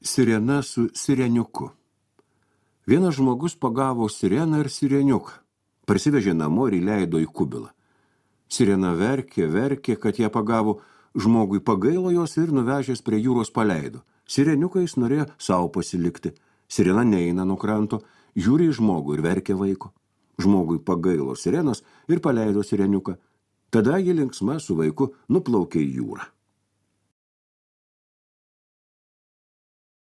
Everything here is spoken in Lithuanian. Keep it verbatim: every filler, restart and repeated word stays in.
Sirena su sireniuku. Vienas žmogus pagavo sireną ir sireniuką. Parsivežė namo ir įleido į kubilą. Sirena verkė, verkė, kad ją pagavo, žmogui pagailo jos ir nuvežęs prie jūros paleido. Sireniuką jis norėjo savo pasilikti. Sirena neina nuo kranto, žiūri į žmogų ir verkė vaiko. Žmogui pagailo sirenos ir paleido sireniuką. Tada ji linksma su vaiku nuplaukė į jūrą.